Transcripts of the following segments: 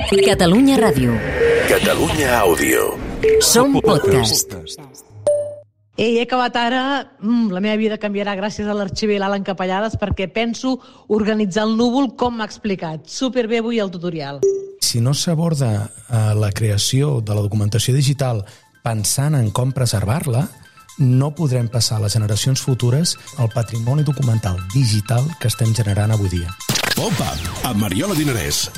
Catalunya Ràdio. Catalunya Àudio. Som podcast. He acabat ara, la meva vida canviarà gràcies a l'arxiver Alan Capellades perquè penso organitzar el núvol com m'ha explicat. Superbé avui el tutorial. Si no s'aborda la creació de la documentació digital pensant en com preservar-la, no podrem passar a les generacions futures el patrimoni documental digital que estem generant avui dia. Pop-up, amb Mariola Dinarès.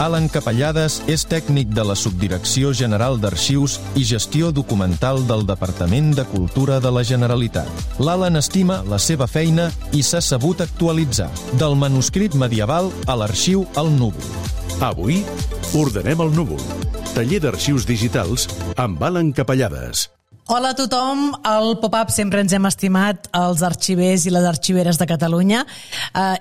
Alan Capellades és tècnic de la Subdirecció General d'Arxius i Gestió Documental del Departament de Cultura de la Generalitat. L'Alan estima la seva feina i s'ha sabut actualitzar, del manuscrit medieval a l'arxiu al núvol. Avui, ordenem el núvol. Taller d'arxius digitals amb Alan Capellades. Hola a tothom, al Pop-Up sempre ens hem estimat els arxivers i les arxiveres de Catalunya.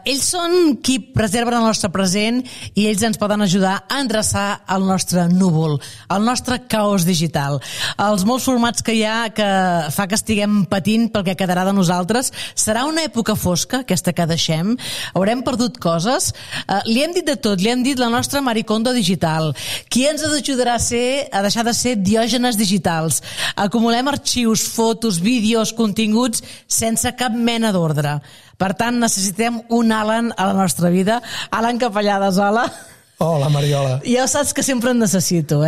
Ells són qui preserven el nostre present i ells ens poden ajudar a endreçar el nostre núvol, el nostre caos digital. Els molts formats que hi ha que fa que estiguem patint pel que quedarà de nosaltres. Serà una època fosca, aquesta que deixem. Haurem perdut coses. Li hem dit de tot, li hem dit la nostra Maricondo digital. Qui ens ajudarà a deixar de ser diògenes digitals? Acumulem arxius, fotos, vídeos, continguts sense cap mena d'ordre. Per tant, necessitem un Alan a la nostra vida. Alan Capellades, hola. Hola, Mariola. Ja saps que sempre en necessito,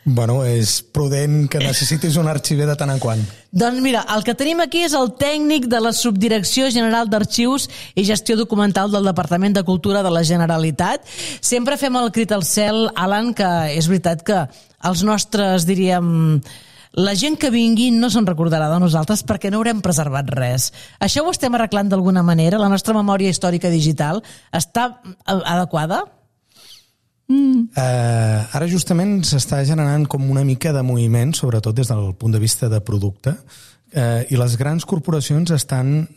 Bueno, és prudent que necessitis un arxiver de tant en quant. Doncs mira, el que tenim aquí és el tècnic de la Subdirecció General d'Arxius i Gestió Documental del Departament de Cultura de la Generalitat. Sempre fem el crit al cel, Alan, que és veritat que els nostres, diríem... La gent que vingui no se'n recordarà de nosaltres perquè no haurem preservat res. Això ho estem arreglant d'alguna manera? La nostra memòria històrica digital està adequada? Ara justament s'està generant com una mica de moviment, sobretot des del punt de vista de producte, i les grans corporacions estan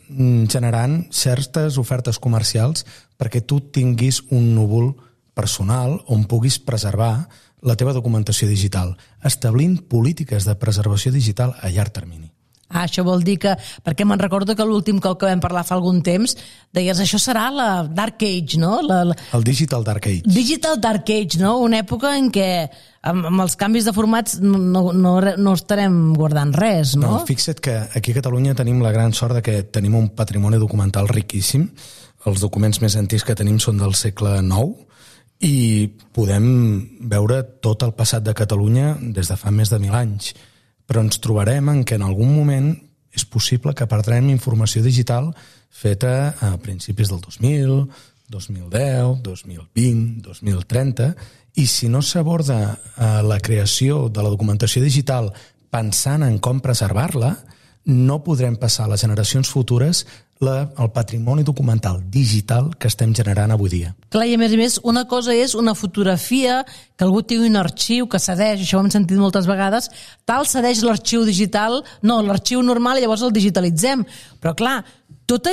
generant certes ofertes comercials perquè tu tinguis un núvol personal on puguis preservar la teva documentació digital, establint polítiques de preservació digital a llarg termini. Això vol dir que, perquè me'n recordo que l'últim cop que vam parlar fa algun temps, deies, això serà la Dark Age, no? El Digital Dark Age. Digital Dark Age, no? Una època en què amb els canvis de formats no estarem guardant res, no? No, fixa't que aquí a Catalunya tenim la gran sort de que tenim un patrimoni documental riquíssim. Els documents més antics que tenim són del segle IX, i podem veure tot el passat de Catalunya des de fa més de 1.000 anys. Però ens trobarem en què en algun moment és possible que perdrem informació digital feta a principis del 2000, 2010, 2020, 2030, i si no s'aborda la creació de la documentació digital pensant en com preservar-la, no podrem passar a les generacions futures el patrimoni documental digital que estem generant avui dia. Clar, i a més, una cosa és una fotografia, que algú tingui un arxiu que cedeix, això ho hem sentit moltes vegades, tal cedeix l'arxiu digital, no, l'arxiu normal i llavors el digitalitzem. Però clar, tota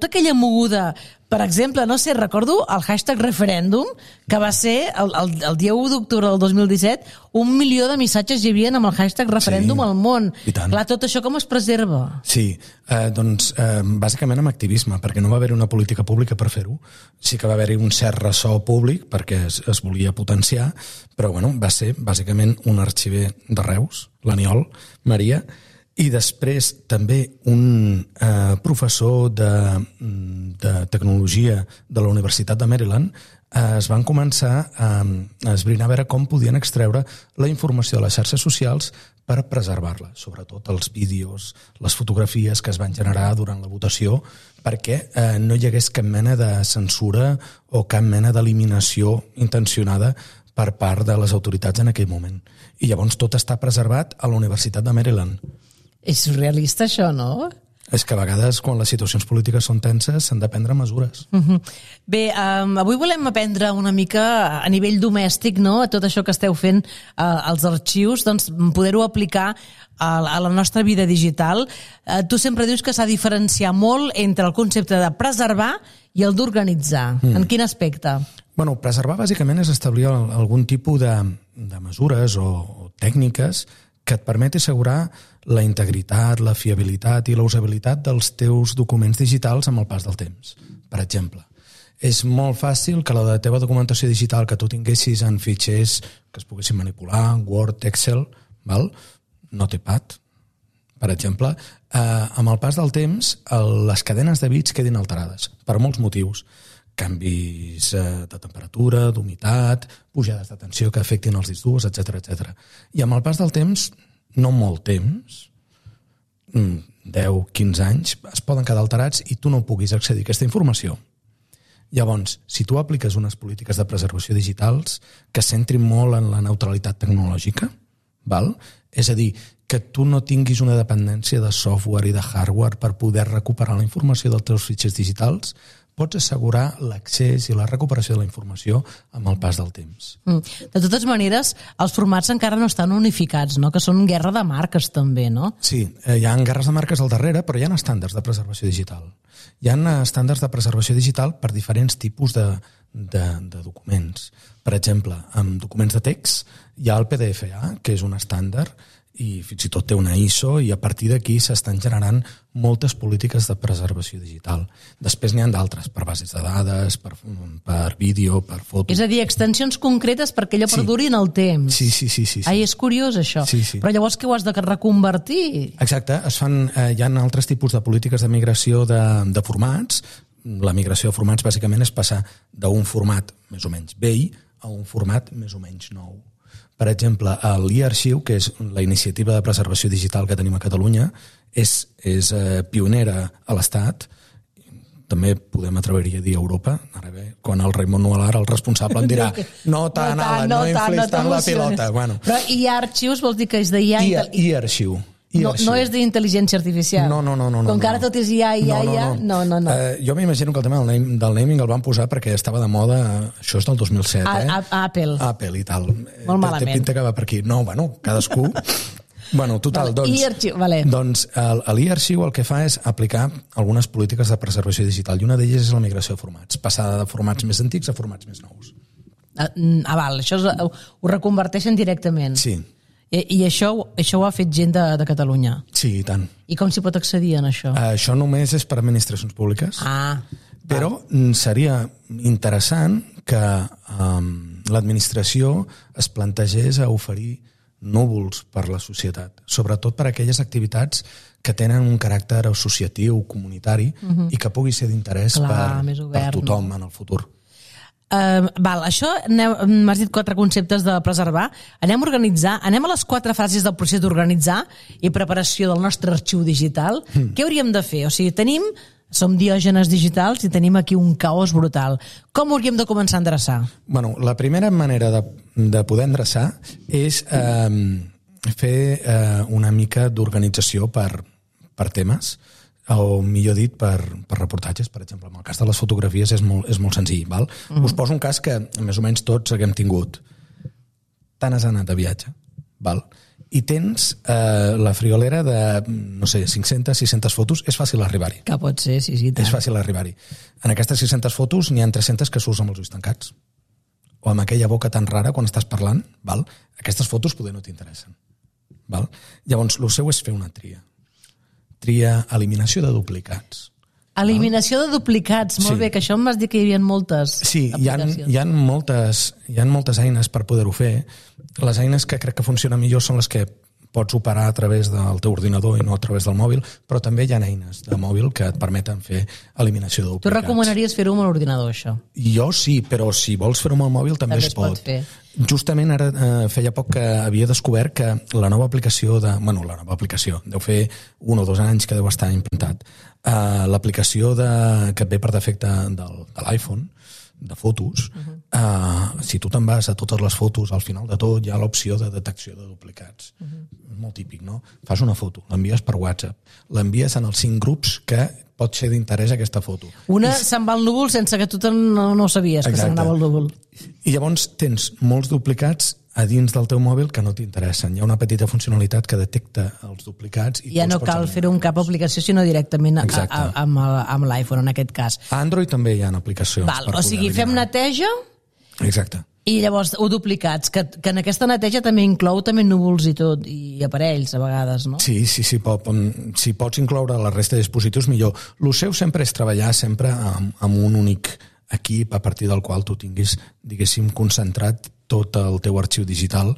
aquella moguda, per exemple, no sé, recordo el hashtag referèndum, que va ser el dia 1 d'octubre del 2017, 1 milió de missatges hi havia amb el hashtag referèndum al món. Clar, tot això com es preserva? Sí, doncs bàsicament amb activisme, perquè no va haver una política pública per fer-ho. Sí que va haver-hi un cert ressò públic perquè es volia potenciar, però bueno, va ser bàsicament un arxiver de Reus, l'Aniol Maria, i després també un professor de tecnologia de la Universitat de Maryland es van començar a esbrinar a veure com podien extreure la informació de les xarxes socials per preservar-la, sobretot els vídeos, les fotografies que es van generar durant la votació, perquè no hi hagués cap mena de censura o cap mena d'eliminació intencionada per part de les autoritats en aquell moment. I llavors tot està preservat a la Universitat de Maryland. És surrealista això, no? És que a vegades, quan les situacions polítiques són tenses, s'han de prendre mesures. Bé, avui volem aprendre una mica a nivell domèstic, no?, a tot això que esteu fent als arxius, doncs poder-ho aplicar a la nostra vida digital. Tu sempre dius que s'ha de diferenciar molt entre el concepte de preservar i el d'organitzar. En quin aspecte? Bueno, preservar bàsicament és establir algun tipus de mesures o tècniques que et permet assegurar la integritat, la fiabilitat i la usabilitat dels teus documents digitals amb el pas del temps. Per exemple, És molt fàcil que la teva documentació digital que tu tinguessis en fitxers que es poguessin manipular, Word, Excel, val? Notepad, per exemple, amb el pas del temps les cadenes de bits quedin alterades per molts motius. Canvis de temperatura, d'humitat, pujades de tensió que afectin els discs durs, etc. I amb el pas del temps, no molt temps, 10, 15 anys, es poden quedar alterats i tu no puguis accedir a aquesta informació. Llavors, si tu apliques unes polítiques de preservació digitals que es centrin molt en la neutralitat tecnològica, val? És a dir, que tu no tinguis una dependència de software i de hardware per poder recuperar la informació dels teus fitxers digitals, pots assegurar l'accés i la recuperació de la informació amb el pas del temps. De totes maneres, els formats encara no estan unificats, no? Que són guerra de marques també, no? Sí, hi ha guerres de marques al darrere, però hi ha estàndards de preservació digital. Hi ha estàndards de preservació digital per diferents tipus de documents. Per exemple, amb documents de text hi ha el PDFA, que és un estàndard, i fins i tot té una ISO, i a partir d'aquí s'estan generant moltes polítiques de preservació digital. Després n'hi ha d'altres, per bases de dades, per vídeo, per foto. És a dir, extensions concretes perquè allò perduri en el temps. Sí. Ai, és curiós això. Sí. Però llavors què ho has de reconvertir? Exacte, hi ha altres tipus de polítiques de migració de formats. La migració de formats bàsicament és passar d'un format més o menys vell a un format més o menys nou. Per exemple, l'e-arxiu, que és la iniciativa de preservació digital que tenim a Catalunya, és pionera a l'Estat, també podem atrever-hi a dir Europa, ara bé, quan el Raimon Nualar, el responsable, em dirà no inflis tant la pilota. Bueno. Però e-arxius vols dir que és d'IA? E-arxiu. No és d'intel·ligència artificial. No. Com que ara tot és IA. No. Jo m'imagino que el tema del naming el van posar perquè estava de moda, això és del 2007, Apple i tal. Molt malament. Té pinta que va per aquí. No, cadascú... Total, doncs l'e-arxiu el que fa és aplicar algunes polítiques de preservació digital i una d'elles és la migració de formats, passada de formats més antics a formats més nous. Això ho reconverteixen directament. Sí. I això ho ha fet gent de Catalunya? Sí, i tant. I com s'hi pot accedir en això? Això només és per administracions públiques. Però seria interessant que l'administració es plantegés a oferir núvols per la societat, sobretot per a aquelles activitats que tenen un caràcter associatiu, comunitari, i que pugui ser d'interès per tothom en el futur. Això, m'has dit 4 conceptes de preservar. Anem a les 4 fases del procés d'organitzar i preparació del nostre arxiu digital. Què hauríem de fer? O sigui, som diògenes digitals i tenim aquí un caos brutal. Com hauríem de començar a endreçar? La primera manera de poder endreçar és fer una mica d'organització per temes, o millor dit, per reportatges. Per exemple, en el cas de les fotografies és molt senzill. Val? Us poso un cas que més o menys tots haguem tingut. Te n'has anat de viatge, val? I tens la friolera de, 500, 600 fotos, és fàcil arribar-hi. Que pot ser, sí. És fàcil arribar-hi. En aquestes 600 fotos n'hi ha 300 que surts amb els ulls tancats. O amb aquella boca tan rara quan estàs parlant, val? Aquestes fotos poder no t'interessen. Val? Llavors, el seu és fer una tria. Eliminació de duplicats. Eliminació de duplicats, molt bé, que això m'has dit que hi havia moltes aplicacions. Hi ha moltes eines per poder-ho fer. Les eines que crec que funcionen millor són les que pots operar a través del teu ordinador i no a través del mòbil, però també hi ha eines de mòbil que et permeten fer eliminació de duplicats. Tu recomanaries fer-ho amb l'ordinador, això? Jo sí, però si vols fer-ho amb el mòbil també es pot fer. Justament ara feia poc que havia descobert que la nova aplicació deu fer 1 o 2 anys que deu estar implantat. L'aplicació que et ve per defecte de l'iPhone, de fotos, si tu te'n vas a totes les fotos, al final de tot hi ha l'opció de detecció de duplicats. Molt típic, no? Fas una foto, l'envies per WhatsApp, l'envies en els 5 grups que pot ser d'interès aquesta foto. Se'n va al núvol sense que tu no sabies que se'n anava al núvol. I llavors tens molts duplicats a dins del teu mòbil que no t'interessen. Hi ha una petita funcionalitat que detecta els duplicats. I ja no cal fer-ho amb cap aplicació, sinó directament amb l'iPhone, en aquest cas. A Android també hi ha aplicacions. O sigui, fem neteja... Exacte. I llavors, duplicats, que en aquesta neteja també inclou també núvols i tot, i aparells a vegades, no? Sí, si pots incloure la resta de dispositius, millor. El seu sempre és treballar sempre amb un únic equip a partir del qual tu tinguis, diguéssim, concentrat tot el teu arxiu digital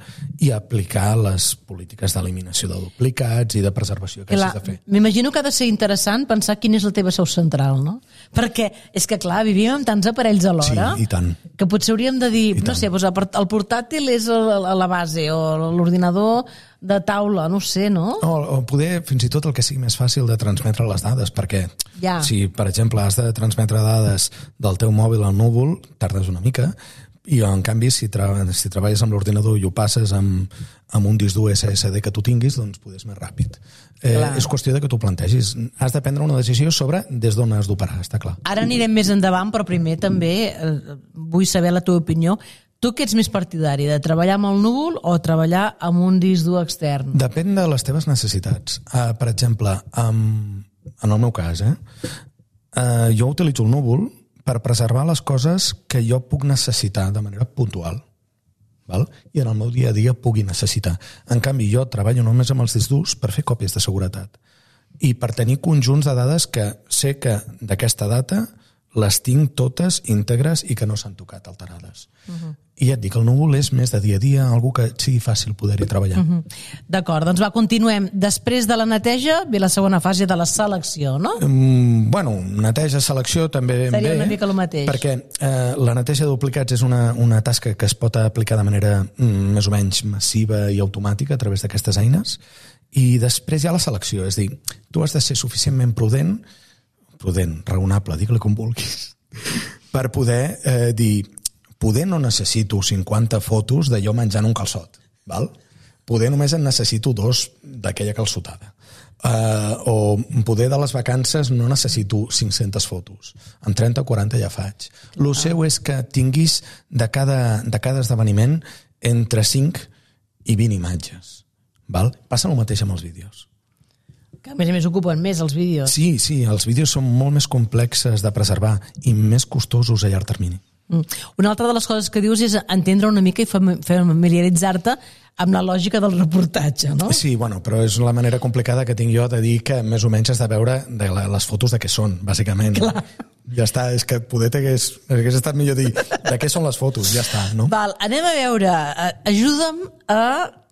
i aplicar les polítiques d'eliminació de duplicats i de preservació que hagis de fer. M'imagino que ha de ser interessant pensar quina és la teva seu central, no? Perquè és que, clar, vivim amb tants aparells alhora Sí, i tant. que potser hauríem de dir, no sé, doncs el portàtil és a la base o l'ordinador de taula, no sé, no? O poder, fins i tot, el que sigui més fàcil de transmetre les dades, perquè si, per exemple, has de transmetre dades del teu mòbil al núvol, tardes una mica, i en canvi si treballes amb l'ordinador i ho passes amb un disc dur SSD que tu tinguis, doncs poder és més ràpid. És qüestió de que tu plantegis. Has de prendre una decisió sobre des d'on has d'operar, està clar. Ara anirem més endavant, però primer també vull saber la teva opinió. Tu què ets més partidari, de treballar amb el núvol o treballar amb un disc dur extern? Depèn de les teves necessitats. Per exemple, en el meu cas, jo utilitzo el núvol per preservar les coses que jo puc necessitar de manera puntual. Val? I en el meu dia a dia pugui necessitar. En canvi, jo treballo només amb els discs durs per fer còpies de seguretat i per tenir conjunts de dades que sé que d'aquesta data les tinc totes íntegres i que no s'han tocat alterades. I ja et dic, el núvol és més de dia a dia, algú que sigui fàcil poder-hi treballar. D'acord, doncs continuem. Després de la neteja ve la segona fase de la selecció, no? Bueno, neteja, selecció també seria una mica el mateix. Perquè la neteja de duplicats és una tasca que es pot aplicar de manera més o menys massiva i automàtica a través d'aquestes eines, i després hi ha la selecció, és a dir, tu has de ser suficientment prudent, raonable, digue-li com vulguis, per poder dir, poder no necessito 50 fotos de jo menjant un calçot, val? Poder només en necessito 2 d'aquella calçotada. O poder de les vacances no necessito 500 fotos, amb 30 o 40 ja faig. El seu és que tinguis de cada esdeveniment entre 5 i 20 imatges. Val? Passa el mateix amb els vídeos. Que a més ocupen més els vídeos. Sí, els vídeos són molt més complexes de preservar i més costosos a llarg termini. Una altra de les coses que dius és entendre una mica i familiaritzar-te amb la lògica del reportatge, no? Sí, bueno, però és la manera complicada que tinc jo de dir que més o menys has de veure les fotos de què són, bàsicament. Clar. Ja està, és que poder hagués estat millor dir de què són les fotos, ja està, no? Val, anem a veure, ajuda'm a...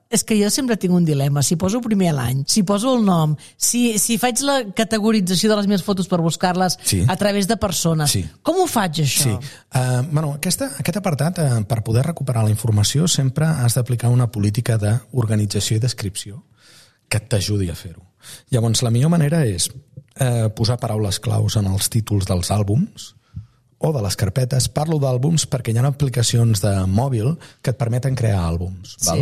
És que jo sempre tinc un dilema, si poso primer l'any, si poso el nom, si faig la categorització de les meves fotos per buscar-les a través de persones. Sí. Com ho faig, això? Sí. Aquest apartat, per poder recuperar la informació, sempre has d'aplicar una política d'organització i descripció que t'ajudi a fer-ho. Llavors, la millor manera és posar paraules claus en els títols dels àlbums o de les carpetes. Parlo d'àlbums perquè hi ha aplicacions de mòbil que et permeten crear àlbums. Val?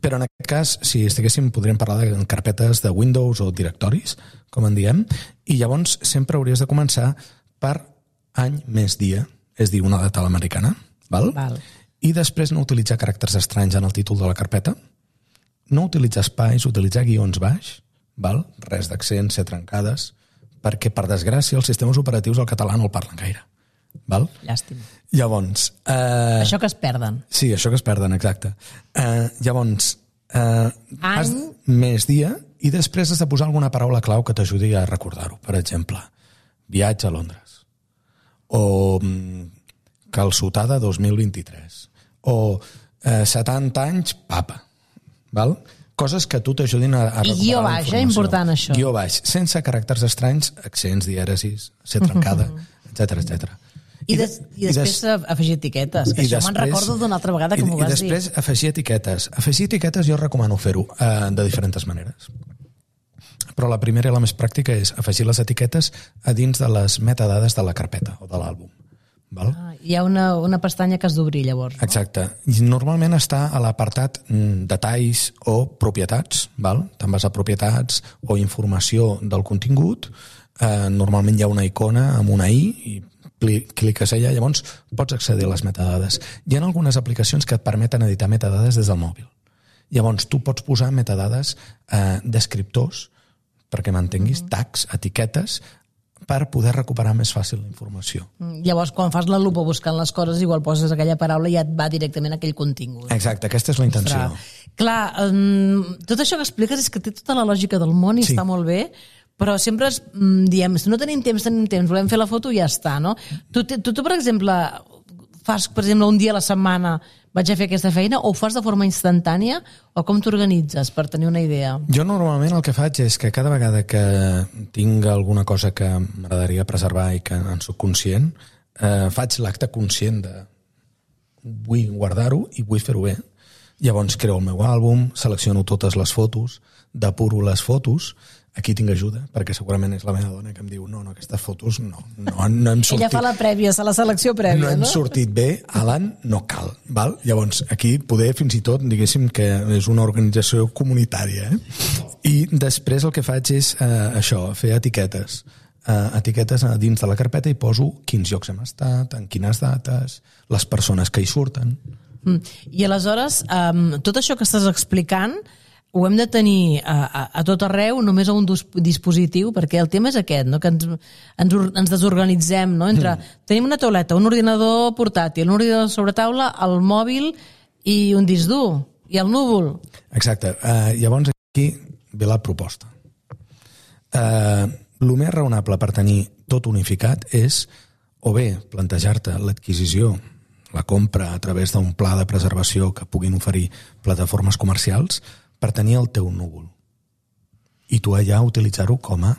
Però en aquest cas, si estiguéssim, podríem parlar de carpetes de Windows o directoris, com en diem, i llavors sempre hauries de començar per any més dia, és dir, una data americana, val? I després no utilitzar caràcters estranys en el títol de la carpeta, no utilitzar espais, utilitzar guions baix, val? Res d'accents, ser trencades, perquè, per desgràcia, els sistemes operatius al català no el parlen gaire. Val? Llàstima. Llavors... Això que es perden. Sí, això que es perden, exacte. Llavors, més dia, i després has de posar alguna paraula clau que t'ajudi a recordar-ho. Per exemple, viatge a Londres. O calçotada 2023. O 70 anys, papa. Val? Coses que tu t'ajudin a recuperar la informació. I guió baix, important això. Guió baix, sense caràcters estranys, accents, dièresis, ser trencada, etc. I després afegir etiquetes, que això me'n recordo d'una altra vegada que m'ho vas dir. I després afegir etiquetes. Afegir etiquetes jo recomano fer-ho de diferents maneres. Però la primera i la més pràctica és afegir les etiquetes a dins de les metadades de la carpeta o de l'àlbum. Hi ha una pestanya que has d'obrir, llavors. No? Exacte. I normalment està a l'apartat detalls o propietats. Te'n vas a propietats o informació del contingut. Normalment hi ha una icona amb una i cliques allà, llavors pots accedir a les metadades. Hi ha algunes aplicacions que et permeten editar metadades des del mòbil. Llavors tu pots posar metadades descriptors, perquè m'entenguis, tags, etiquetes, per poder recuperar més fàcil la informació. Llavors, quan fas la lupa buscant les coses, igual poses aquella paraula i ja et va directament a aquell contingut. Exacte, aquesta és la intenció. Clar, tot això que expliques és que té tota la lògica del món i està molt bé, però sempre diem, si no tenim temps, volem fer la foto i ja està, no? Tu, per exemple, fas, per exemple, un dia a la setmana vaig a fer aquesta feina, o ho fas de forma instantània, o com t'organitzes, per tenir una idea? Jo normalment el que faig és que cada vegada que tinc alguna cosa que m'agradaria preservar i que en soc conscient, faig l'acte conscient de vull guardar-ho i vull fer-ho bé. Llavors creo el meu àlbum, selecciono totes les fotos, depuro les fotos. Aquí tinc ajuda, perquè segurament és la meva dona que em diu no, aquestes fotos no hem sortit... Ella fa la prèvia, la selecció prèvia, no? No hem sortit bé, Alan, no cal. Val? Llavors, aquí poder fins i tot, diguéssim que és una organització comunitària. I després el que faig és això, fer etiquetes. Etiquetes dins de la carpeta i poso quins llocs hem estat, en quines dates, les persones que hi surten. I aleshores, tot això que estàs explicant ho hem de tenir a tot arreu, només a un dispositiu, perquè el tema és aquest, no? Que ens desorganitzem, no? Tenim una tauleta, un ordinador portàtil, un ordinador sobre taula, el mòbil i un disc dur, i el núvol. Exacte. Llavors aquí ve la proposta. El més raonable per tenir tot unificat és o bé plantejar-te l'adquisició, la compra a través d'un pla de preservació que puguin oferir plataformes comercials per tenir el teu núvol. I tu allà utilitzar-ho com a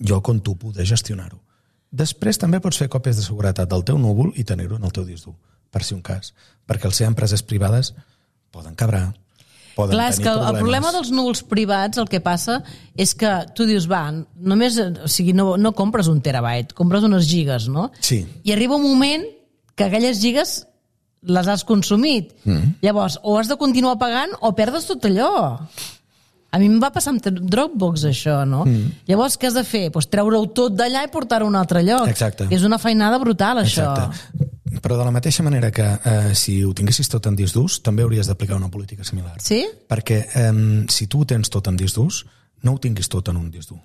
lloc on tu poder gestionar-ho. Després també pots fer còpies de seguretat del teu núvol i tenir-ho en el teu disc dur, per si un cas. Perquè al ser empreses privades poden cabrar, poden Clar, tenir és que problemes. el problema dels núvols privats, el que passa és que tu dius, només, o sigui, no compres 1 terabyte, compres unes gigas, no? Sí. I arriba un moment que aquelles gigas les has consumit. Llavors, o has de continuar pagant o perdes tot allò. A mi em va passar amb Dropbox, això, no? Llavors, què has de fer? Pues treure-ho tot d'allà i portar-ho a un altre lloc. Exacte. És una feinada brutal, això. Exacte. Però de la mateixa manera que si ho tinguessis tot en disc durs, també hauries d'aplicar una política similar. Sí? Perquè si tu ho tens tot en disc durs, no ho tinguis tot en un disc dur.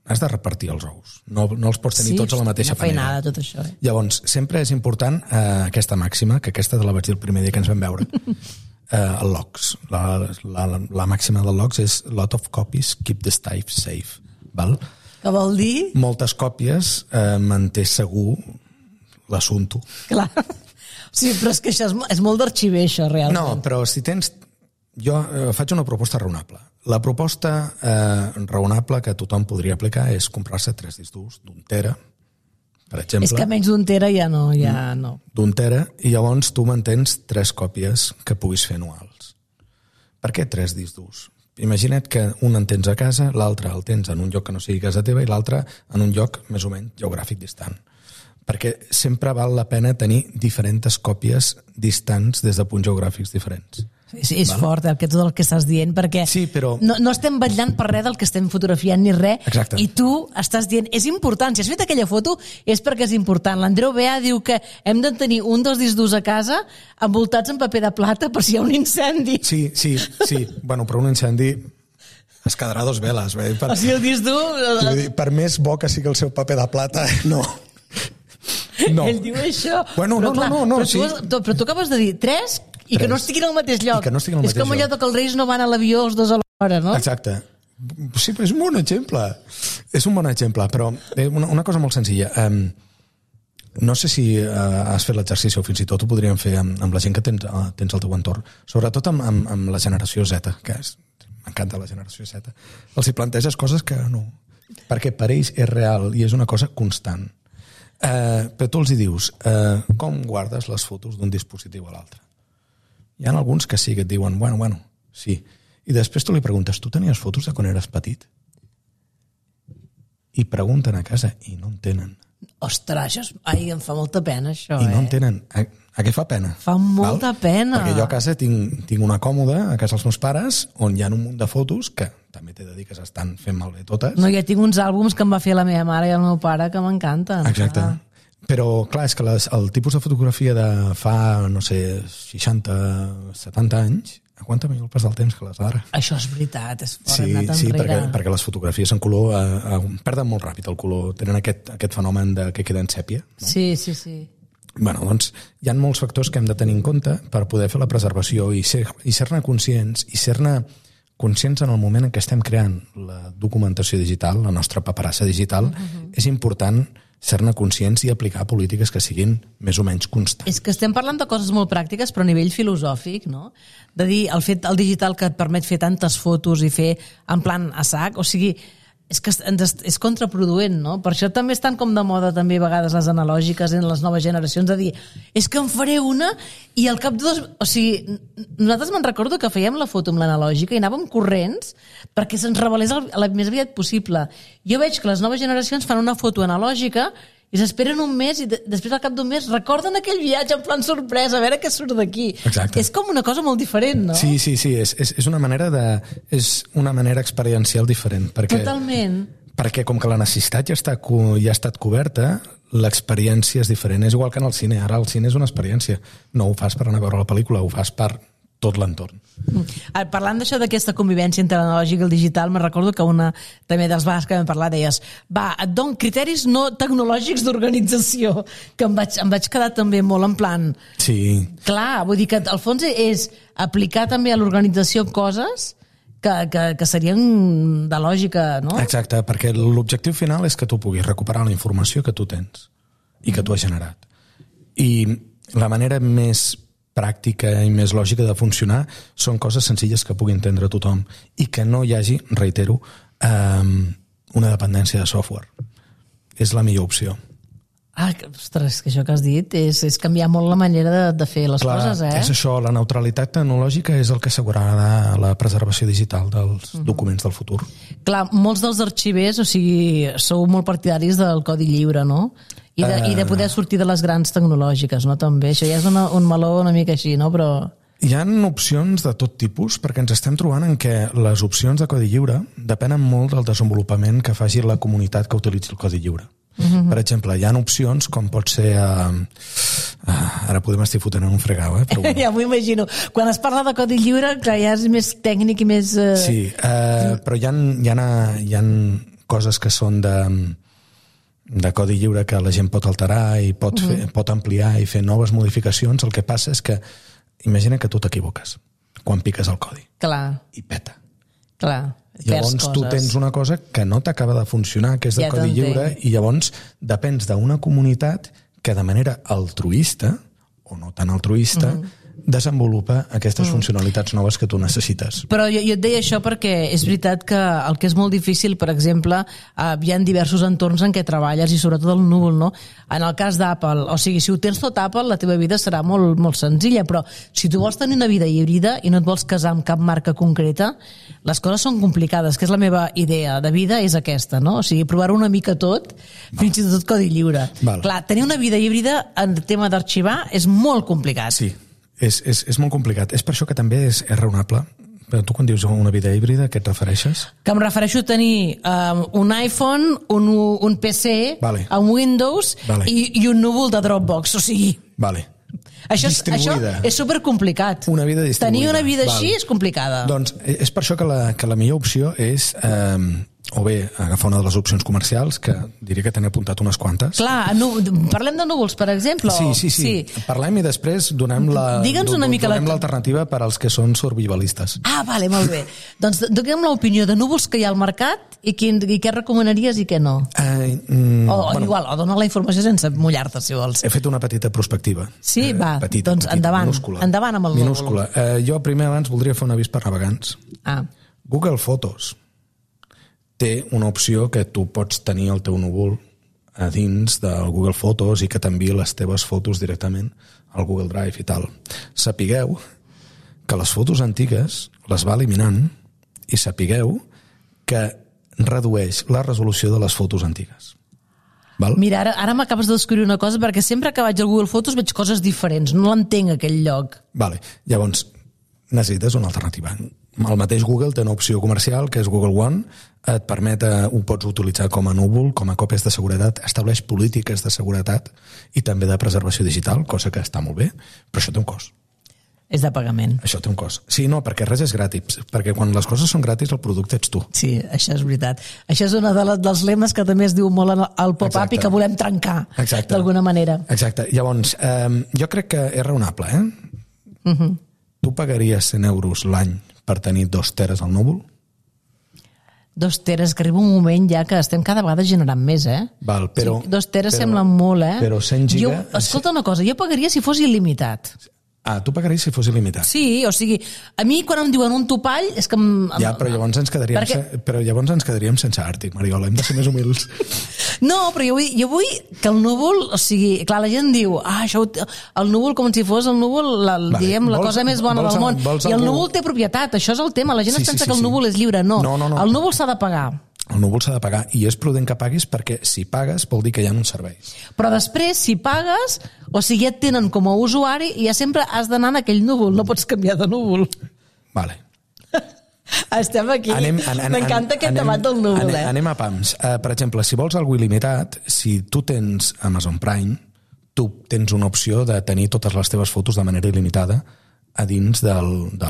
Has de repartir els ous. No els pots tenir tots a la mateixa panera. Feinada, tot això. Llavors, sempre és important aquesta màxima, que aquesta te la vaig dir el primer dia que ens vam veure, el LOCS. La màxima del LOCS és lot of copies keep the stuff safe. Val? Què vol dir? Moltes còpies manté segur l'assumpte. Clar. Sí, però és que això és molt d'arxiver, això, realment. No, però si tens... Jo faig una proposta raonable. La proposta raonable que tothom podria aplicar és comprar-se 3 discs durs d'1 tera, per exemple. És que menys d'1 tera ja no. D'1 tera, i llavors tu mantens 3 còpies que puguis fer anuals. Per què 3 discs durs? Imagina't que un en tens a casa, l'altre el tens en un lloc que no sigui casa teva i l'altre en un lloc més o menys geogràfic distant. Perquè sempre val la pena tenir diferents còpies distants des de punts geogràfics diferents. És fort tot el que estàs dient, perquè sí, però... no estem vetllant per res del que estem fotografiant ni res. Exacte. I tu estàs dient, és important, si has fet aquella foto és perquè és important. L'Andreu Bea diu que hem de tenir un dels discs durs a casa envoltats en paper de plata per si hi ha un incendi. Sí. Bueno, però un incendi es quedarà 2 veles. O sigui, el disc dur... Per més bo que sigui el seu paper de plata, no. Ell diu això. Bueno, no, però sí. Però tu acabes de dir 3 i que no estiguin al mateix lloc. És com allò que els reis no van a l'avió els 2 a l'hora, no? Exacte. Sí, però és un bon exemple. És un bon exemple, però una cosa molt senzilla. No sé si has fet l'exercici o fins i tot ho podríem fer amb la gent que tens al teu entorn, sobretot amb la generació Z, que m'encanta la generació Z. Els hi planteges coses que no... Perquè per ells és real i és una cosa constant. Però tu els hi dius, com guardes les fotos d'un dispositiu a l'altre? Hi ha alguns que sí, que et diuen, bueno, sí. I després tu li preguntes, tu tenies fotos de quan eres petit? I pregunten a casa i no en tenen. Ostres, em fa molta pena, això. I no en tenen. A què fa pena? Fa molta pena. Perquè jo a casa tinc una còmoda, a casa dels meus pares, on hi ha un munt de fotos que també t'he de dir que s'estan fent malbé totes. No, jo tinc uns àlbums que em va fer la meva mare i el meu pare que m'encanten. Exacte. Però, clar, és que el tipus de fotografia de fa, no sé, 60, 70 anys, aguanta millor el pas del temps que les d'ara. Això és veritat, és fort, hem anat enrere. Sí, perquè les fotografies en color perden molt ràpid el color, tenen aquest fenomen que queden sèpia. No? Sí. Bueno, doncs hi ha molts factors que hem de tenir en compte per poder fer la preservació i ser-ne conscients i ser-ne conscients en el moment en què estem creant la documentació digital, la nostra paperassa digital, és important ser-ne conscients i aplicar polítiques que siguin més o menys constants. És que estem parlant de coses molt pràctiques, però a nivell filosòfic, no? De dir, el digital que et permet fer tantes fotos i fer en plan a sac, o sigui, és que és contraproduent, no? Per això també estan com de moda també a vegades les analògiques en les noves generacions, de dir, és que en faré una i al cap de dos... O sigui, nosaltres me'n recordo que fèiem la foto amb l'analògica i anàvem corrents perquè se'ns revelés el més aviat possible. Jo veig que les noves generacions fan una foto analògica i s'esperen un mes i després al cap d'un mes recorden aquell viatge en plan sorpresa, a veure què surt d'aquí. Exacte. És com una cosa molt diferent, no? Sí, és una manera experiencial diferent. Totalment. Perquè com que la necessitat ja ha estat coberta, l'experiència és diferent. És igual que en el cine. Ara el cine és una experiència. No ho fas per anar a veure la pel·lícula, ho fas per tot l'entorn. Parlant d'això d'aquesta convivència entre l'analògic i el digital, me'n recordo que una també dels vegades que vam parlar deies, et dono criteris no tecnològics d'organització, que em vaig quedar també molt en plan... Sí. Clar, vull dir que al fons és aplicar també a l'organització coses que serien de lògica, no? Exacte, perquè l'objectiu final és que tu puguis recuperar la informació que tu tens i que tu has generat. I la manera més pràctica i més lògica de funcionar són coses senzilles que pugui entendre tothom i que no hi hagi, reitero, una dependència de software. És la millor opció. Ostres, que això que has dit és canviar molt la manera de fer les coses, eh? És això, la neutralitat tecnològica és el que assegurarà la preservació digital dels documents del futur. Clar, molts dels arxivers, o sigui, sou molt partidaris del codi lliure, no? I de poder sortir de les grans tecnològiques, no? També, això ja és un meló una mica així, no? Però... Hi ha opcions de tot tipus, perquè ens estem trobant en què les opcions de codi lliure depenen molt del desenvolupament que faci la comunitat que utilitzi el codi lliure. Per exemple, hi ha opcions com pot ser... Ara podem estar fotent en un fregau, però bueno. Ja m'ho imagino. Quan es parla de codi lliure, clar, ja és més tècnic i més... Sí, però hi ha coses que són de codi lliure que la gent pot alterar i pot ampliar i fer noves modificacions. El que passa és que imagina que tu t'equivoques quan piques el codi. Clar. I peta. Clar. Llavors tu tens una cosa que no t'acaba de funcionar, que és de codi lliure, i llavors depens d'una comunitat que de manera altruista, o no tan altruista, desenvolupa aquestes funcionalitats noves que tu necessites. Però jo et deia això perquè és veritat que el que és molt difícil, per exemple, hi ha diversos entorns en què treballes i sobretot el núvol, no? En el cas d'Apple, o sigui, si ho tens tot Apple, la teva vida serà molt, molt senzilla, però si tu vols tenir una vida híbrida i no et vols casar amb cap marca concreta, les coses són complicades, que és la meva idea de vida, és aquesta, no? O sigui, provar una mica tot, fins i tot codi lliure. Clar, tenir una vida híbrida en tema d'arxivar és molt complicat. Sí. És molt complicat. És per això que també és raonable. Però tu quan dius una vida híbrida, a què et refereixes? Que em refereixo a tenir un iPhone, un PC, un Windows i un núvol de Dropbox, o sigui... Això és supercomplicat. Una vida distribuïda. Tenir una vida així és complicada. Doncs és per això que la millor opció és... o bé agafar una de les opcions comercials, que diria que t'he apuntat unes quantes. Clar, parlem de núvols, per exemple? Sí. Parlem i després donem l'alternativa per als que són survivalistes. Vale, molt bé. Doncs donem l'opinió de núvols que hi ha al mercat i què recomanaries i què no. Igual, o dona la informació sense mullar-te, si vols. He fet una petita prospectiva. Sí, va, doncs endavant. Endavant amb el núvol. Minúscula. Jo primer abans voldria fer un avís per navegants. Google Fotos té una opció que tu pots tenir el teu núvol a dins del Google Fotos i que t'enviï les teves fotos directament al Google Drive i tal. Sapigueu que les fotos antigues les va eliminant i sapigueu que redueix la resolució de les fotos antigues. Val? Mira, ara m'acabes de descobrir una cosa, perquè sempre que vaig al Google Fotos veig coses diferents, no l'entenc aquell lloc. Llavors, necessites una alternativa. El mateix Google té una opció comercial que és Google One, et permet, ho pots utilitzar com a núvol, com a còpies de seguretat, estableix polítiques de seguretat i també de preservació digital, cosa que està molt bé, però això té un cost. És de pagament. Això té un cost. Sí, no, perquè res és gratis, perquè quan les coses són gratis el producte ets tu. Sí, això és veritat. Això és una dels lemes que també es diu molt al pop-up i que volem trencar, d'alguna manera. Exacte. Llavors, jo crec que és raonable, Tu pagaries 100 euros l'any per tenir 2 teres al núvol? 2 teres, que arriba un moment ja que estem cada vegada generant més, Val, però, 2 teres semblen molt, Però 100 giga... Escolta una cosa, jo pagaria si fos il·limitat. Tu pagaries si fos il·limitat. Sí, o sigui, a mi quan em diuen un topall és que... Ja, però llavors ens quedaríem sense Àrtic, Mariola, hem de ser més humils. No, però jo vull que el núvol, o sigui, clar, la gent diu, el núvol com si fos el núvol, la cosa més bona del món. I el núvol té propietat, això és el tema. La gent es pensa que el núvol és lliure. No, el núvol s'ha de pagar. El núvol s'ha de pagar i és prudent que paguis perquè si pagues vol dir que hi ha uns serveis. Però després, si pagues, o sigui, ja et tenen com a usuari i ja sempre has d'anar en aquell núvol, no pots canviar de núvol. Vale. Estem aquí. M'encanta aquest debat del núvol. Anem a pams. Per exemple, si vols algo il·limitat, si tu tens Amazon Prime, tu tens una opció de tenir totes les teves fotos de manera il·limitada a dins de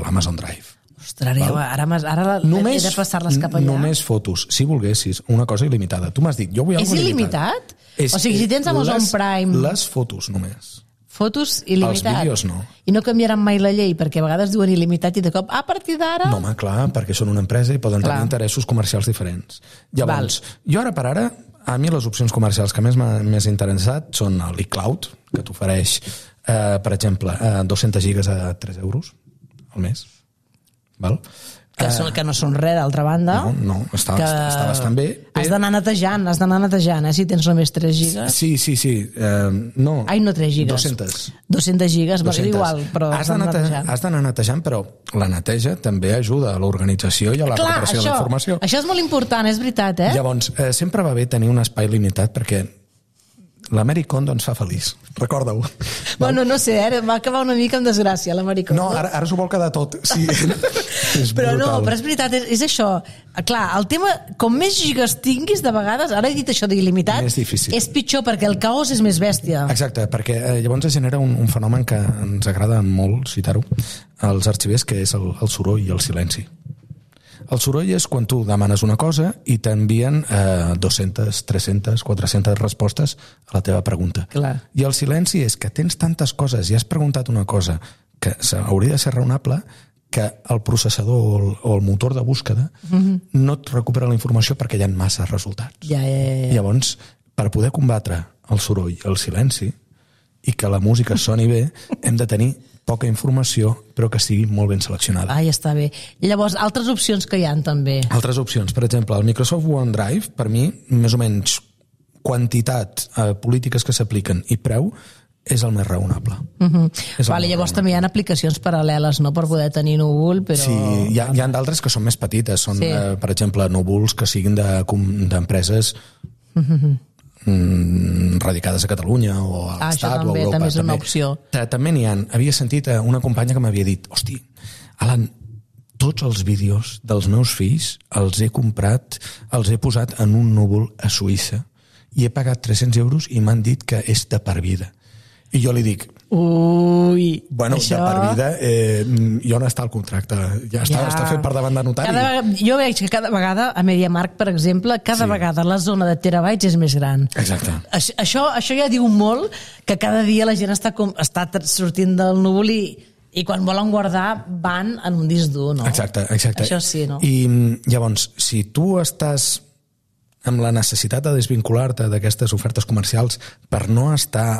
l'Amazon Drive. Ostres, ara he de passar-les cap allà. Només fotos, si volguessis, una cosa il·limitada. Tu m'has dit, jo vull alguna cosa il·limitat. O sigui, si tens Amazon Prime... Les fotos només. Fotos il·limitat. Els vídeos no. I no canviaran mai la llei, perquè a vegades diuen il·limitat i de cop, a partir d'ara... No, home, clar, perquè són una empresa i poden tenir interessos comercials diferents. Llavors, jo ara per ara, a mi les opcions comercials que més m'ha interessat són l'iCloud, que t'ofereix, per exemple, 200 gigas a 3 euros al mes. Val? Que no són res, d'altra banda. No, està bastant bé. Has d'anar netejant, si tens només 3 gigas. Sí. No. Ai, no 3 gigas. 200 gigas, és igual, però has d'anar netejant, però la neteja també ajuda a l'organització i a la recuperació de la informació. Això és molt important, és veritat, Llavors, sempre va bé tenir un espai limitat perquè l'Americon ens fa feliç, recorda-ho. Bueno, no sé, va acabar una mica amb desgràcia l'Americon. No, ara s'ho vol quedar tot. Sí. Però és veritat, és això. Clar, el tema, com més gigas tinguis, de vegades, ara he dit això d'il·limitat, és pitjor perquè el caos és més bèstia. Exacte, perquè llavors es genera un fenomen que ens agrada molt citar-ho als arxivers, que és el soroll i el silenci. El soroll és quan tu demanes una cosa i t'envien 200, 300, 400 respostes a la teva pregunta. Clar. I el silenci és que tens tantes coses i has preguntat una cosa que hauria de ser raonable que el processador o el motor de búsqueda no et recupera la informació perquè hi ha massa resultats. Ja. Llavors, per poder combatre el soroll i el silenci i que la música soni bé, hem de tenir poca informació, però que sigui molt ben seleccionada. Ja està bé. I llavors, altres opcions que hi ha també? Altres opcions. Per exemple, el Microsoft OneDrive, per mi, més o menys quantitat, polítiques que s'apliquen i preu, és el més raonable. Llavors també hi ha aplicacions paral·leles, no?, per poder tenir núvol, però... Sí, hi ha d'altres que són més petites. Són, per exemple, núvols que siguin d'empreses radicades a Catalunya o a l'Estat o a Europa. També és una opció. També n'hi ha. Havia sentit una companya que m'havia dit, hosti, Alan, tots els vídeos dels meus fills els he comprat, els he posat en un núvol a Suïssa i he pagat 300 euros i m'han dit que és de per vida. I jo li dic, bueno, això... de per vida, i on està el contracte? Ja està fet per davant de notari. Jo veig que cada vegada, a MediaMarkt, per exemple, vegada la zona de terabytes és més gran. Exacte. Això ja diu molt que cada dia la gent està sortint del núvol i quan volen guardar van en un disc dur, no? Exacte. Això sí, no? I llavors, si tu estàs amb la necessitat de desvincular-te d'aquestes ofertes comercials per no estar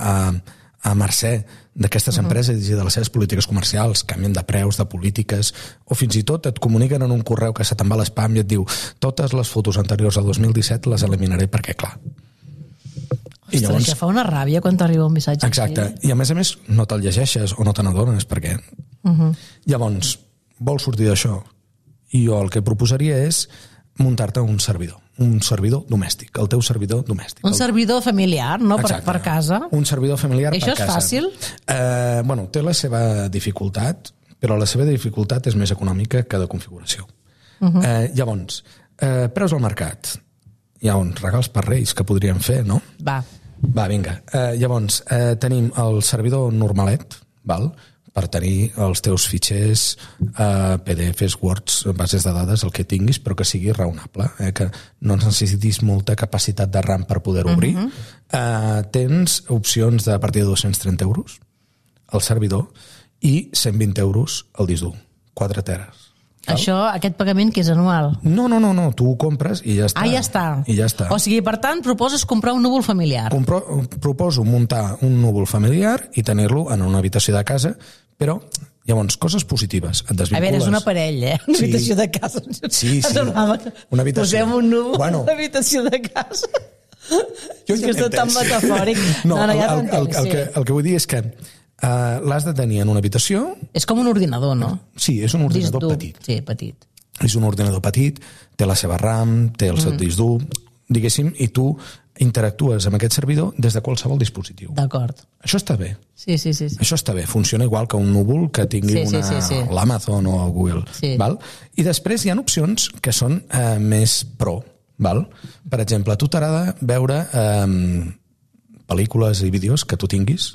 a mercè d'aquestes empreses i de les seves polítiques comercials, canvien de preus, de polítiques, o fins i tot et comuniquen en un correu que se te'n va a l'espam i et diu totes les fotos anteriors al 2017 les eliminaré perquè, clar... Ostres, llavors... això fa una ràbia quan t'arriba un missatge. Exacte, i a més no te'l llegeixes o no te n'adones perquè... Llavors, vols sortir d'això? I jo el que proposaria és muntar-te un servidor domèstic, el teu servidor domèstic. Un servidor familiar, no? Per casa. Un servidor familiar per casa. Això és fàcil? Té la seva dificultat, però la seva dificultat és més econòmica que de configuració. Llavors, preus al mercat. Hi ha uns regals per Reis que podríem fer, no? Va, vinga. Llavors, tenim el servidor normalet, val?, per tenir els teus fitxers PDFs, Words, bases de dades, el que tinguis, però que sigui raonable, que no necessitis molta capacitat de RAM per poder obrir. Tens opcions a partir de 230 euros al servidor i 120 euros al disc dur, 4 teres. Aquest pagament que és anual? No, tu ho compres i ja està. Ja està. I ja està. O sigui, per tant, proposes comprar un núvol familiar. Proposo muntar un núvol familiar i tenir-lo en una habitació de casa, però llavors, coses positives. Et desvincules. A veure, és un aparell, Una habitació de casa. Sí. Una habitació. Posem un núvol a l'habitació de casa. És que és tot tan metafòric. El que vull dir és que l'has de tenir en una habitació. És com un ordinador, no? Sí, és un ordinador petit. Sí, petit. És un ordinador petit, té la seva RAM, té el seu disc dur, diguéssim, i tu interactues amb aquest servidor des de qualsevol dispositiu. D'acord. Això està bé. Sí. Això està bé. Funciona igual que un núvol que tingui l'Amazon o el Google. Sí. Val? I després hi ha opcions que són més pro. Val? Per exemple, a tu t'agrada veure pel·lícules i vídeos que tu tinguis.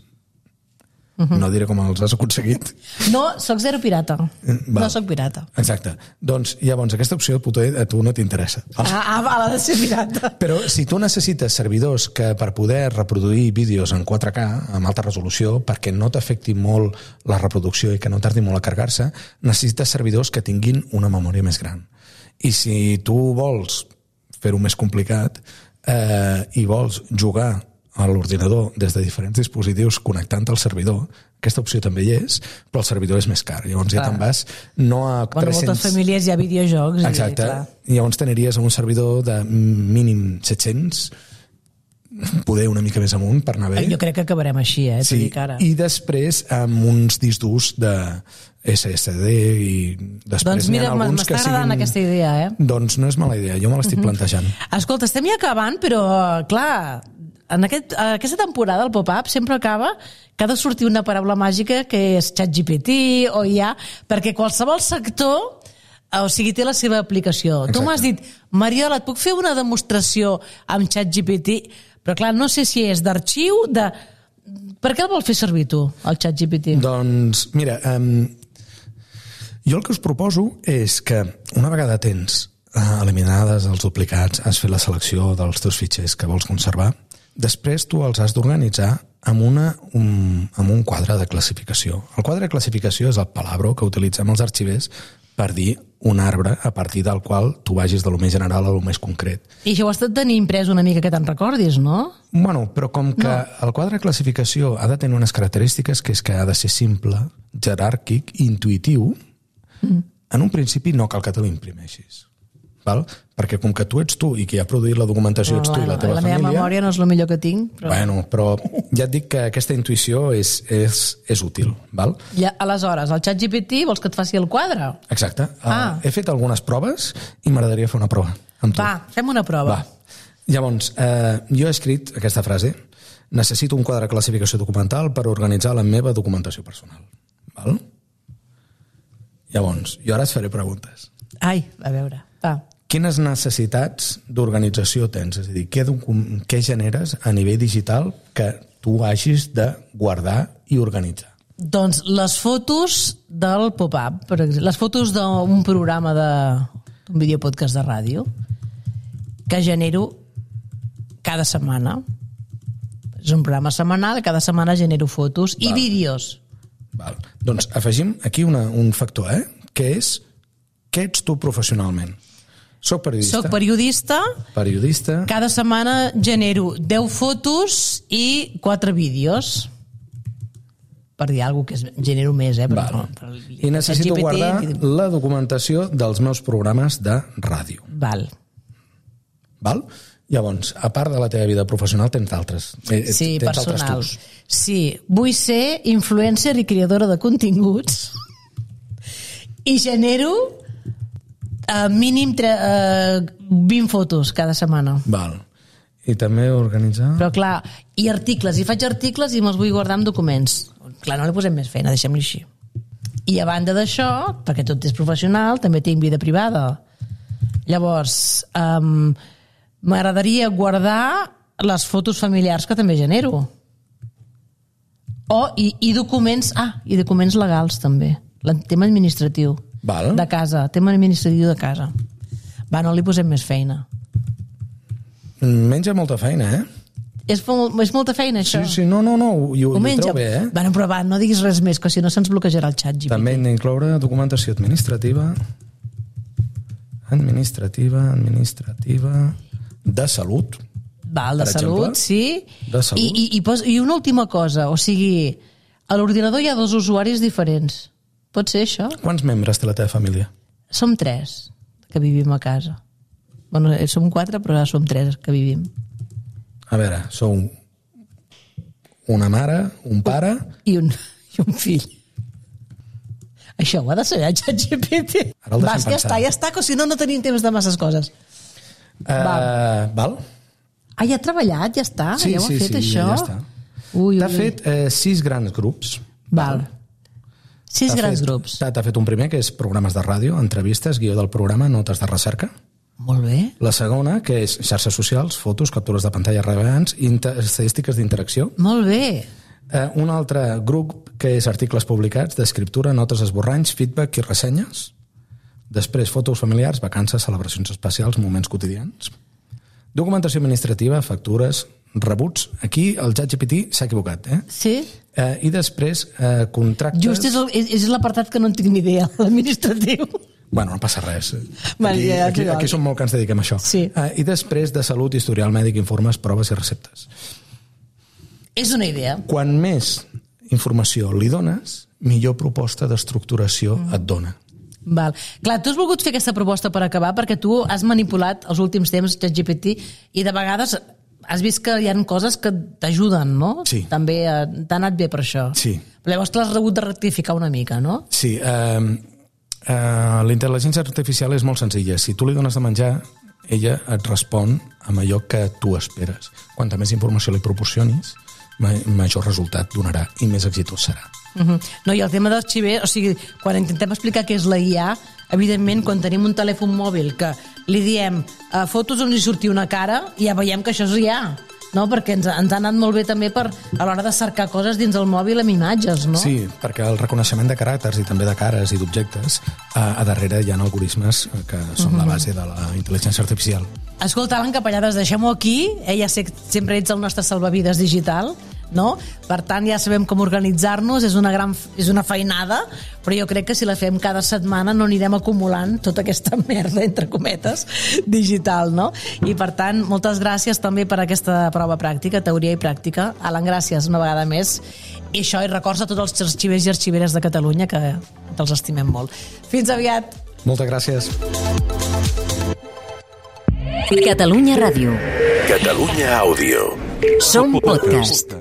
No diré com els has aconseguit. No, soc zero pirata. No soc pirata. Exacte. Doncs llavors aquesta opció a tu no t'interessa. Ha de ser pirata. Però si tu necessites servidors que per poder reproduir vídeos en 4K amb alta resolució, perquè no t'afecti molt la reproducció i que no tardi molt a carregar-se, necessites servidors que tinguin una memòria més gran. I si tu vols fer-ho més complicat i vols jugar a l'ordinador des de diferents dispositius connectant al servidor, aquesta opció també hi és, però el servidor és més car. Llavors ja te'n vas no a 300... En moltes famílies hi ha videojocs. Exacte. I llavors t'aniries a un servidor de mínim 700, poder una mica més amunt per anar bé. Jo crec que acabarem així, Sí. I després amb uns discs durs de SSD i després doncs mira, m'està agradant aquesta idea, Doncs no és mala idea, jo me l'estic plantejant. Escolta, estem ja acabant, però clar, en aquesta temporada el pop-up sempre acaba que ha de sortir una paraula màgica que és ChatGPT o IA, perquè qualsevol sector té la seva aplicació. Exacte. Tu m'has dit, Mariola, et puc fer una demostració amb ChatGPT? Però clar, no sé si és d'arxiu, Per què el vol fer servir tu, el ChatGPT? Doncs, mira, jo el que us proposo és que una vegada tens eliminades els duplicats, has fet la selecció dels teus fitxers que vols conservar, després tu els has d'organitzar amb un quadre de classificació. El quadre de classificació és el palabro que utilitzem els arxivers per dir un arbre a partir del qual tu vagis de lo més general a lo més concret. I això ho has de tenir imprès una mica que te'n recordis, no? Bueno, però com que el quadre de classificació ha de tenir unes característiques, que és que ha de ser simple, jeràrquic, intuïtiu, en un principi no cal que te l'imprimeixis. Val? Perquè com que tu ets tu i qui ha produït la documentació ets tu i la teva família... La meva memòria no és el millor que tinc. Però ja et dic que aquesta intuïció és útil. Val? I aleshores, el ChatGPT vols que et faci el quadre? Exacte. He fet algunes proves i m'agradaria fer una prova amb tu. Va, fem una prova. Llavors, jo he escrit aquesta frase: necessito un quadre de classificació documental per organitzar la meva documentació personal. Val? Llavors, jo ara et faré preguntes. Ai, a veure, va. Quines necessitats d'organització tens? És a dir, què generes a nivell digital que tu hagis de guardar i organitzar? Doncs les fotos del pop-up, per exemple, les fotos d'un programa d'un videopodcast de ràdio que genero cada setmana. És un programa setmanal, cada setmana genero fotos i vídeos. Val. Doncs afegim aquí un factor, que és què ets tu professionalment? Soc periodista. Periodista. Cada setmana genero 10 fotos i 4 vídeos. Per dir alguna cosa que genero més, però I necessito guardar la documentació dels meus programes de ràdio. Val? Llavors, a part de la teva vida professional, tens d'altres. Sí, personal. Sí, vull ser influencer i creadora de continguts i genero mínim 20 fotos cada setmana. Val. I també organitzar... Però clar, i articles, i faig articles i me'ls vull guardar en documents. Clar, no li posem més feina, deixem-li així. I a banda d'això, perquè tot és professional, també tinc vida privada. Llavors, m'agradaria guardar les fotos familiars que també genero. I documents... i documents legals també. El tema administratiu. Val. De casa, tema administratiu de casa. No li posem més feina. Menja molta feina, És molta feina, això? Sí, no, ho treu bé, Però no diguis res més, que si no se'ns bloquejarà el xat GPT. També hem d'incloure documentació administrativa. Administrativa de salut. Val, de per salut, exemple. sí. De salut. I una última cosa, o sigui, a l'ordinador hi ha 2 usuaris diferents. Pot ser això? Quants membres té la teva família? Som 3 que vivim a casa. Bueno, som 4, però ara som 3 que vivim. A veure, sou una mare, un pare... I un fill. Això ho ha de saber el ChatGPT. Ara el deixem Ja està, que si no, no tenim temps de masses coses. Val? Ah, ja ha treballat, ja està, Sí, ja ho ha fet, això. ja està. Ui, T'ha fet 6 grans grups. Val. 6 grans grups. T'ha fet un primer, que és programes de ràdio, entrevistes, guió del programa, notes de recerca. Molt bé. La segona, que és xarxes socials, fotos, captures de pantalla rellevants, estadístiques d'interacció. Molt bé. Un altre grup, que és articles publicats, d'escriptura, notes esborranys, feedback i ressenyes. Després, fotos familiars, vacances, celebracions especials, moments quotidians. Documentació administrativa, factures, rebuts. Aquí el ChatGPT s'ha equivocat, Sí? I després, contractes... Just és l'apartat que no en tinc ni idea, l'administratiu. Bueno, no passa res. Vale, Aquí som molt que ens dediquem a això. Sí. I després, de salut, historial mèdic, informes, proves i receptes. És una idea. Quan més informació li dones, millor proposta d'estructuració et dona. Val. Clar, tu has volgut fer aquesta proposta per acabar perquè tu has manipulat els últims temps ChatGPT i de vegades has vist que hi ha coses que t'ajuden, no? Sí. També t'ha anat bé per això. Sí. Però llavors l'has rebut de rectificar una mica, no? Sí. La intel·ligència artificial és molt senzilla. Si tu li dones de menjar, ella et respon amb allò que tu esperes. Quanta més informació li proporcionis, major resultat donarà i més exitós serà. No, i el tema d'arxiver, o sigui, quan intentem explicar què és la IA, evidentment, quan tenim un telèfon mòbil que li diem fotos on li surti una cara, ja veiem que això és IA, no? Perquè ens ha anat molt bé també a l'hora de cercar coses dins el mòbil amb imatges, no? Sí, perquè el reconeixement de caràcters i també de cares i d'objectes, a darrere hi ha algoritmes que són la base de la intel·ligència artificial. Escolta, Alan Capellades, deixem-ho aquí. Ja sé que sempre ets el nostre salvavides digital, no? Per tant, ja sabem com organitzar-nos, és una feinada, però jo crec que si la fem cada setmana no anirem acumulant tota aquesta merda, entre cometes, digital, no? I per tant, moltes gràcies també per aquesta prova pràctica, teoria i pràctica. Alan, gràcies una vegada més. I això, i records a tots els arxivers i arxiveres de Catalunya, que els estimem molt. Fins aviat! Moltes gràcies. Catalunya Ràdio. Catalunya Àudio. Som podcast.